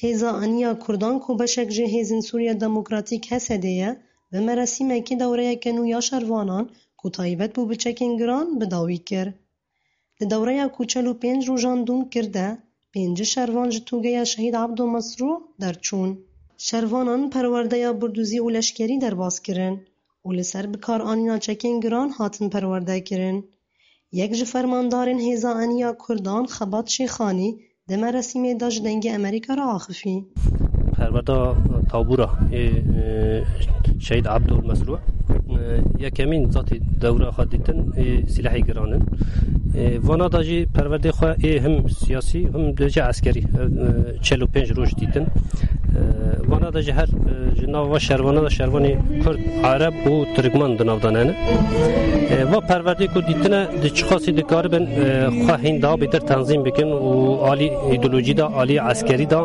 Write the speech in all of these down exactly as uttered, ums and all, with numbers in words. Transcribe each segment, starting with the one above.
Hêza Eniya Kurdan ku beşek ji Hêzên Sûriya Demokratîk, H S D'ê ye, bi merasîmekî dewreyeke nû ya şervanan ku taybet bû bi çekên giran bi dawî kir. Di dewreya ku çel û pênc rojan dûm kir de, pêncî şervan ji tûgeya Şehîd Ebdo Mesrû derçûn. Şervanan perwerdeya birdûzî û leşkerî derbas kirin û li ser bikaranîna çekên giran hatin perwerde kirin. Yek ji fermandarên Hêza Eniya Kurdan Xebat Şêxanî di merasîmê de ji Dengê Amerîka re axifî. Perwerda tabûra ê, e, Şehîd Ebdul Mesrû, e, yekemîn zatî dewra xwe dîtin ê sîlehê giran in. E, vana da jî perwerdê xwe ê him siyasî, him dibêje eskerî, e, e, çel û pênc roj dîtin. E, vana da jî her, e, ji nava şervana da şervanê Kurd, Ereb û Tirkman di nav de ne. E, va perwerdê ku dîtine di çiqasî dikaribin, e, xwe hîn daha bêtir tenzîm bikin û alî îdeolojî de, alî eskerî de,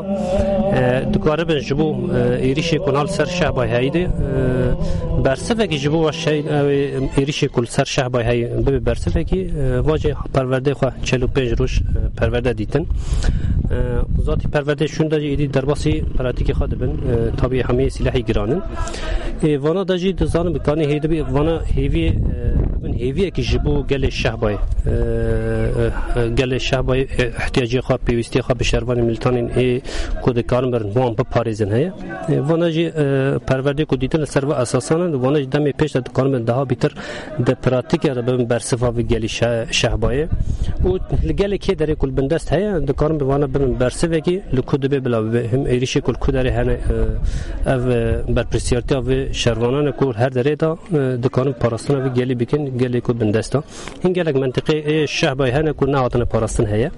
e, dikaribin ji bo, e, êrîşê ku niha li ser Şehbayê heyî de, e, bersivekî ji bo şe-, ew ê êrîşê ku li ser Şehbayê heyî bibe bersivekî, e, va jî perwerdê xwe çel û pênc roj, e, perwerde dîtin. E, zatî perwerdê şûn de jî êdî derbasî pratîkê xwe dibin. E, tabî hemî sîlehî giran in. E, vana de jî dizanim bi kanî hêdibî vana hêviyê, e, bin hêviyekî ji bo gelê Şehbayê. E, e, gelê Şehbayê, e, ihtiyacê xwe, pêwîstiyê xwe bi şervanê milîtanên ê ku dikarin birin wan biparêzin heye. E, vana jî, e, perwerdê ku dîtin li ser vê esasan in, vana jî demê pêş de dikarin bin daha bîtir di pratîkê re bibin bersiva vî gelî Şe-, Şehbayê. Û li gelê kê derê ku li bindest heye, dikarin bi vana bibin bersivekî li ku dibê bila bibe. Him êrîşê ku li ku derê hene, e, ev, e, berpirsiyartiya vê şervanan e ku her derê de, e, dikarin parastina vî gelî bikin, gelê ku bindest e. Hin gelek mentiqê ê Şehbayê hene ku nehatine parastin heye.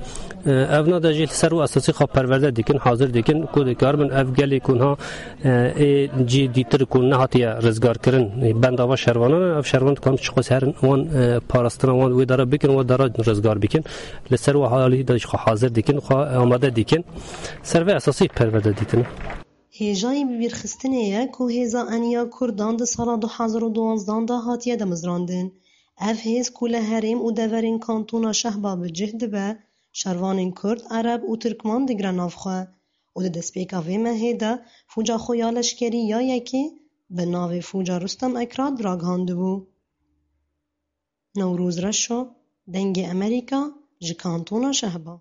E, ev na de jî li ser wê esasî xwe perwerde dikin, hazir dikin ku dikaribin ev gelê ku niha, e, ê cî dîtir ku nehatiye rizgarkirin, e, benda va şervanan e, ev şervan dikarin çiqas herin wan, e, parastina wan wê dara bikin, wan dara rizgar bikin. Li ser wê halî de jî xwe hazir dikin, xwe amade dikin. Ser vê esasî perwerde dîtine. Hêjayî bibîrxistinê ye ku Hêza Eniya Kurdan di sala du hezar û duwanzdan de hatiye demizrandin. Ev hêz ku li herêm û deverên kantona Şehba bi cih dibe, şervanên Kurd, Ereb û Tirkman digire nav xwe û di destpêka vê mehê de fûca xwe ya leşkerî ya yekê bi navê Fûca Rustem Ekrad ragihandibû. Newroz Reşo, Dengê Emerîka, ji Kantona Şehba.